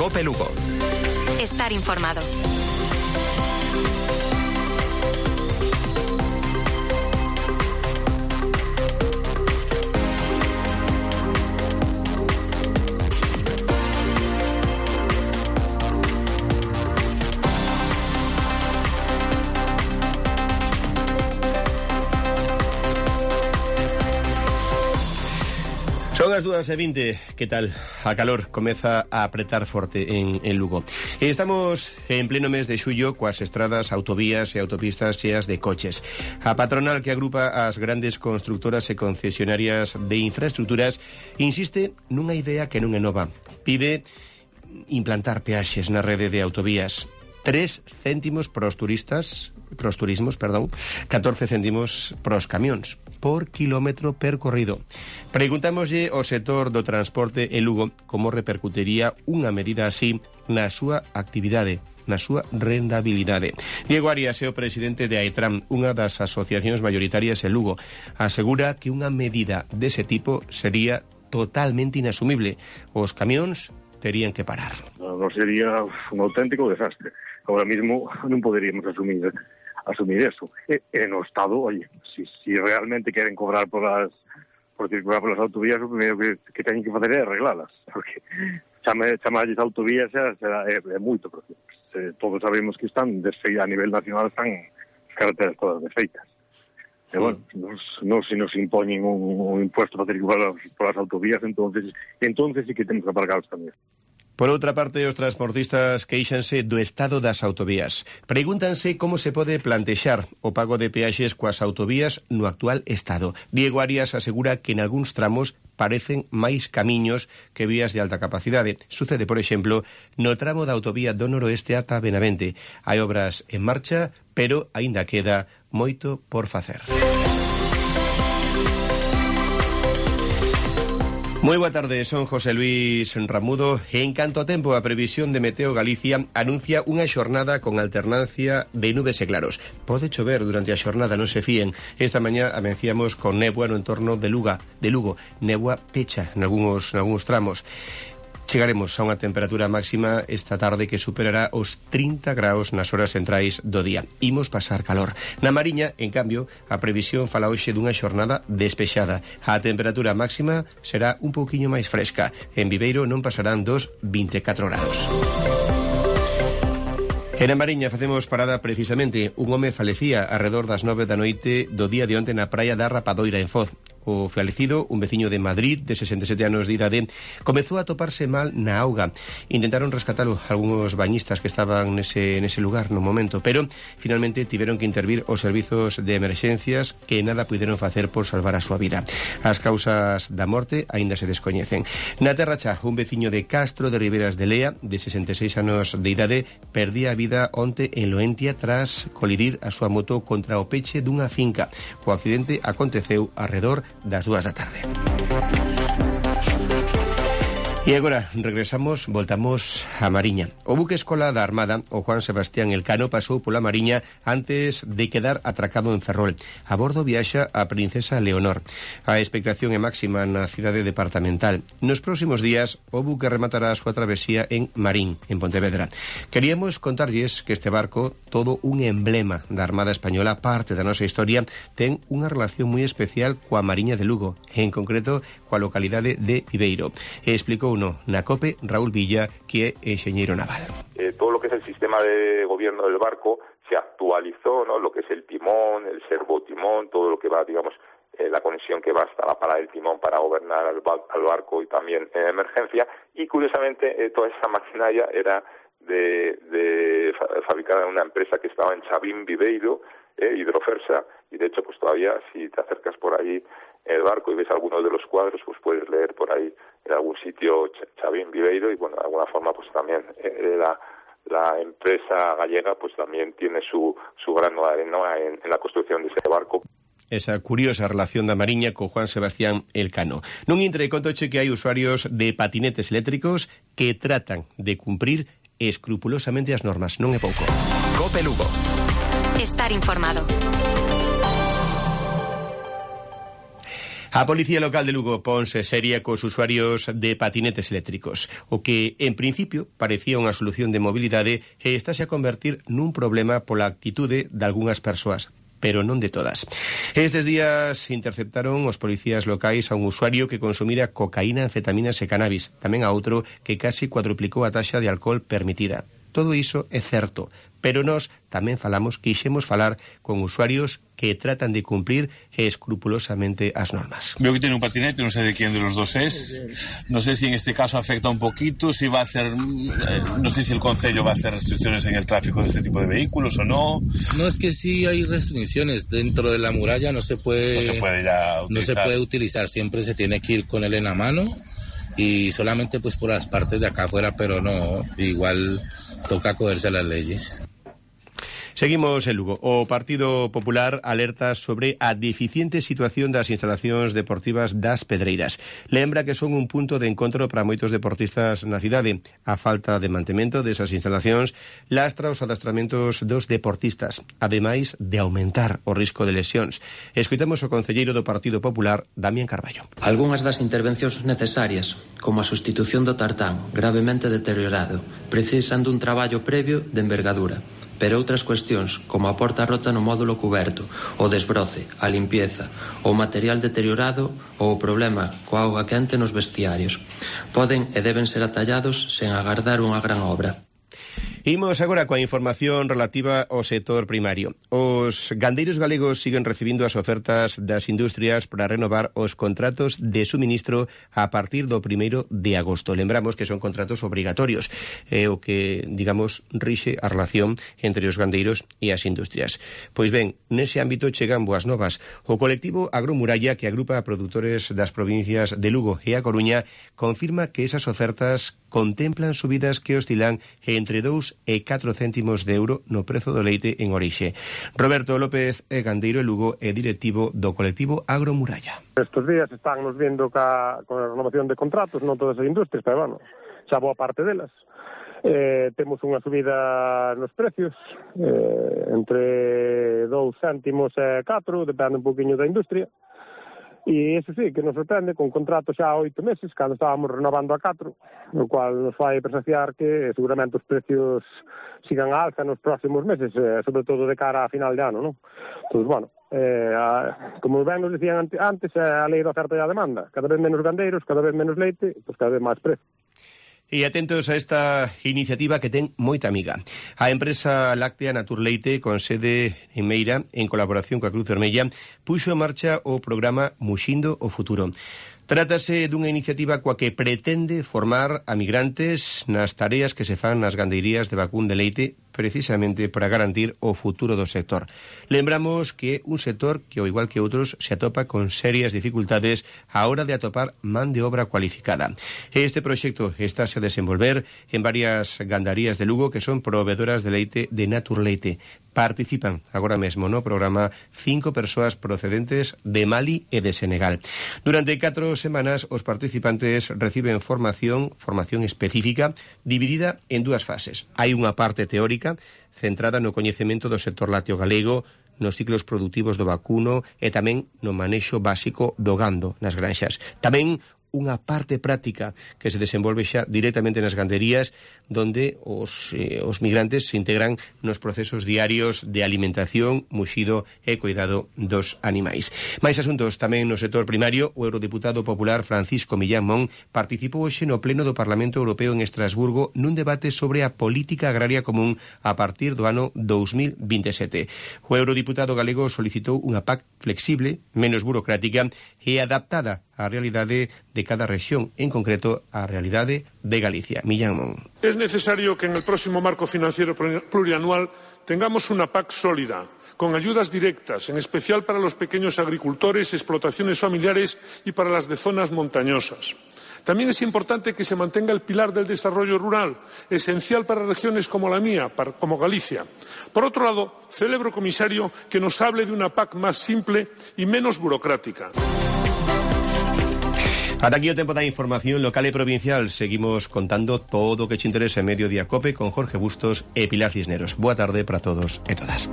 COPE Lugo. Estar informado. Son as 2:20, que tal? A calor comeza a apretar forte en Lugo. Estamos en pleno mes de xullo coas estradas, autovías e autopistas cheas de coches. A patronal que agrupa as grandes constructoras e concesionarias de infraestructuras insiste nunha idea que non é nova. Pide implantar peaxes na rede de autovías. 3 céntimos para os turismos, 14 céntimos para os camións por kilómetro percorrido. Preguntámoslle ao sector do transporte en Lugo como repercutiría unha medida así na súa actividade, na súa rendabilidade. Diego Arias é o presidente de AETRAM, unha das asociacións mayoritarias en Lugo. Asegura que unha medida dese tipo sería totalmente inasumible. Os camións terían que parar. No sería un auténtico desastre. Ahora mismo non poderíamos asumir eso. En o Estado, oye, si realmente queren cobrar por circular polas autovías, o primeiro que teñen que facer é arreglalas, porque chamarlles autovías é moito, porque todos sabemos que están a nivel nacional están as carreteras todas desfeitas. E bueno, se nos impoñen un impuesto para circular polas autovías, entonces sí que temos que aparcar os camións. Por outra parte, os transportistas queixanse do estado das autovías. Pregúntanse como se pode plantexar o pago de peaxes coas autovías no actual estado. Diego Arias asegura que en algúns tramos parecen máis camiños que vías de alta capacidade. Sucede, por exemplo, no tramo da autovía do noroeste ata Benavente. Hai obras en marcha, pero aínda queda moito por facer. Moi boa tarde, son José Luis Ramudo. En canto a tempo, a previsión de Meteo Galicia anuncia unha xornada con alternancia de nubes e claros. Pode chover durante a xornada, non se fíen. Esta mañá amenciamos con néboa no entorno de Lugo. Néboa pecha en algúns tramos. Chegaremos a unha temperatura máxima esta tarde que superará os 30 graus nas horas centrais do día. Imos pasar calor. Na Mariña, en cambio, a previsión fala hoxe dunha xornada despexada. A temperatura máxima será un pouquiño máis fresca. En Viveiro non pasarán dos 24 graus. En a Mariña facemos parada precisamente. Un home falecía arredor das 9 da noite do día de onte na praia da Rapadoira en Foz. O falecido, un veciño de Madrid de 67 anos de idade, comezou a toparse mal na auga. Intentaron rescatalo algúns bañistas que estaban nese lugar no momento, pero finalmente tiveron que intervir os servizos de emerxencias que nada puideron facer por salvar a súa vida. As causas da morte aínda se descoñecen. Na Terra Cha, un veciño de Castro de Riberas de Lea, de 66 anos de idade, perdía a vida onte en Loentia tras colidir a súa moto contra o peche dunha finca. O accidente aconteceu arredor das 2 da tarde. E agora voltamos a Mariña. O buque escola da Armada, o Juan Sebastián Elcano, pasou pola Mariña antes de quedar atracado en Ferrol. A bordo viaxa a princesa Leonor. A expectación é máxima na cidade departamental. Nos próximos días, o buque rematará a súa travesía en Marín, en Pontevedra. Queríamos contarlles que este barco, todo un emblema da Armada Española, parte da nosa historia, ten unha relación moi especial coa Mariña de Lugo, en concreto coa localidade de Viveiro. Explicou na COPE Raúl Villa, que é enxeñeiro naval. Todo lo que es el sistema de gobierno del barco se actualizó, ¿no? Lo que es el timón, el servotimón, todo lo que va, digamos, la conexión que va hasta la pala del timón para gobernar al barco y también en emergencia. Y curiosamente toda esa maquinaria era fabricada en una empresa que estaba en Chavín, Viveiro, Hidrofersa, y de hecho pues todavía si te acercas por ahí el barco y ves algunos de los cuadros, pues puedes leer por ahí en algún sitio Chavín, Viveiro, y bueno, de alguna forma pues también la empresa gallega pues también tiene su grano de arena en la construcción de ese barco. Esa curiosa relación da Mariña co Juan Sebastián Elcano. Nun intre contoche que hai usuarios de patinetes eléctricos que tratan de cumprir escrupulosamente as normas, non é pouco. COPE Lugo. Estar informado. A Policía Local de Lugo ponse seria cos usuarios de patinetes eléctricos. O que, en principio, parecía unha solución de mobilidade e estáse a convertir nun problema pola actitude de algunhas persoas, pero non de todas. Estes días interceptaron os policías locais a un usuario que consumira cocaína, anfetaminas e cannabis, tamén a outro que casi cuadruplicou a taxa de alcohol permitida. Todo iso é certo, pero nós tamén quixemos falar con usuarios que tratan de cumplir escrupulosamente as normas. Veo que tiene un patinete, no sé de quién de los dos es. No sé si en este caso afecta un poquito, si va a hacer, no sé si el concello va a hacer restricciones en el tráfico de este tipo de vehículos o no. No, es que sí hay restricciones. Dentro de la muralla no se puede ya utilizar. No se puede utilizar, siempre se tiene que ir con él en la mano y solamente pues por las partes de acá afuera, pero no, igual toca acogerse a las leyes. Seguimos en Lugo. O Partido Popular alerta sobre a deficiente situación das instalacións deportivas das Pedreiras. Lembra que son un punto de encontro para moitos deportistas na cidade. A falta de mantemento desas instalacións lastra os adestramentos dos deportistas, ademais de aumentar o risco de lesións. Escoitamos o concelleiro do Partido Popular, Damián Carballo. Algunhas das intervencións necesarias, como a sustitución do tartán, gravemente deteriorado, precisan dun traballo previo de envergadura. Pero outras cuestións, como a porta rota no módulo cuberto, o desbroce, a limpieza, o material deteriorado ou o problema coa auga quente nos vestiarios, poden e deben ser atallados sen agardar unha gran obra. Imos agora coa información relativa ao sector primario. Os gandeiros galegos siguen recibindo as ofertas das industrias para renovar os contratos de suministro a partir do 1º de agosto. Lembramos que son contratos obrigatorios, o que, digamos, rixe a relación entre os gandeiros e as industrias. Pois ben, nese ámbito chegan boas novas. O colectivo Agromuralla, que agrupa a produtores das provincias de Lugo e A Coruña, confirma que esas ofertas contemplan subidas que oscilan entre 2 e 4 céntimos de euro no prezo do leite en orixe. Roberto López é gandeiro e Lugo e directivo do colectivo Agromuralla. Estos días están nos viendo con a renovación de contratos, non todas as industrias, pero bueno, xa boa parte delas. Temos unha subida nos precios entre 2 céntimos e 4, depende un poquinho da industria. E iso sí, que nos sorprende, con contratos xa 8 meses, cando estábamos renovando a 4, o cual nos fai presagiar que seguramente os precios sigan a alza nos próximos meses, sobre todo de cara a final de ano, non? Entón, bueno, como ben nos dicían antes, a lei da oferta e a demanda. Cada vez menos gandeiros, cada vez menos leite, pois cada vez máis precio. E atentos a esta iniciativa que ten moita amiga. A empresa láctea Naturleite, con sede en Meira, en colaboración coa Cruz Vermella, puxo en marcha o programa Muxindo o Futuro. Trátase dunha iniciativa coa que pretende formar a migrantes nas tareas que se fan nas gandeirías de vacún de leite, precisamente para garantir o futuro do sector. Lembramos que é un sector que, ao igual que outros, se atopa con serias dificultades a hora de atopar man de obra cualificada. Este proxecto estáse a desenvolver en varias gandarías de Lugo que son proveedoras de leite de Naturleite. Participan agora mesmo no programa 5 persoas procedentes de Mali e de Senegal. Durante 4 semanas os participantes reciben formación específica dividida en 2 fases. Hai unha parte teórica centrada no coñecemento do sector lácteo galego, nos ciclos produtivos do vacuno e tamén no manexo básico do gando nas granxas. Tamén unha parte práctica que se desenvolve xa directamente nas ganderías, donde os migrantes se integran nos procesos diarios de alimentación, muxido e cuidado dos animais. Mais asuntos tamén no sector primario. O eurodiputado popular Francisco Millán Mon participou hoxe no pleno do Parlamento Europeo en Estrasburgo nun debate sobre a política agraria común a partir do ano 2027. O eurodiputado galego solicitou unha PAC flexible, menos burocrática e adaptada á realidade de cada rexión, en concreto á realidade de Galicia. Millán Mon. Es necesario que en el próximo marco financiero plurianual tengamos una PAC sólida, con ayudas directas, en especial para los pequeños agricultores, explotaciones familiares y para las de zonas montañosas. También es importante que se mantenga el pilar del desarrollo rural, esencial para regiones como la mía, como Galicia. Por otro lado, celebro, comisario, que nos hable de una PAC más simple y menos burocrática. Ata aquí o tempo da información local e provincial. Seguimos contando todo o que te interesa en Mediodía Cope con Jorge Bustos e Pilar Cisneros. Boa tarde para todos e todas.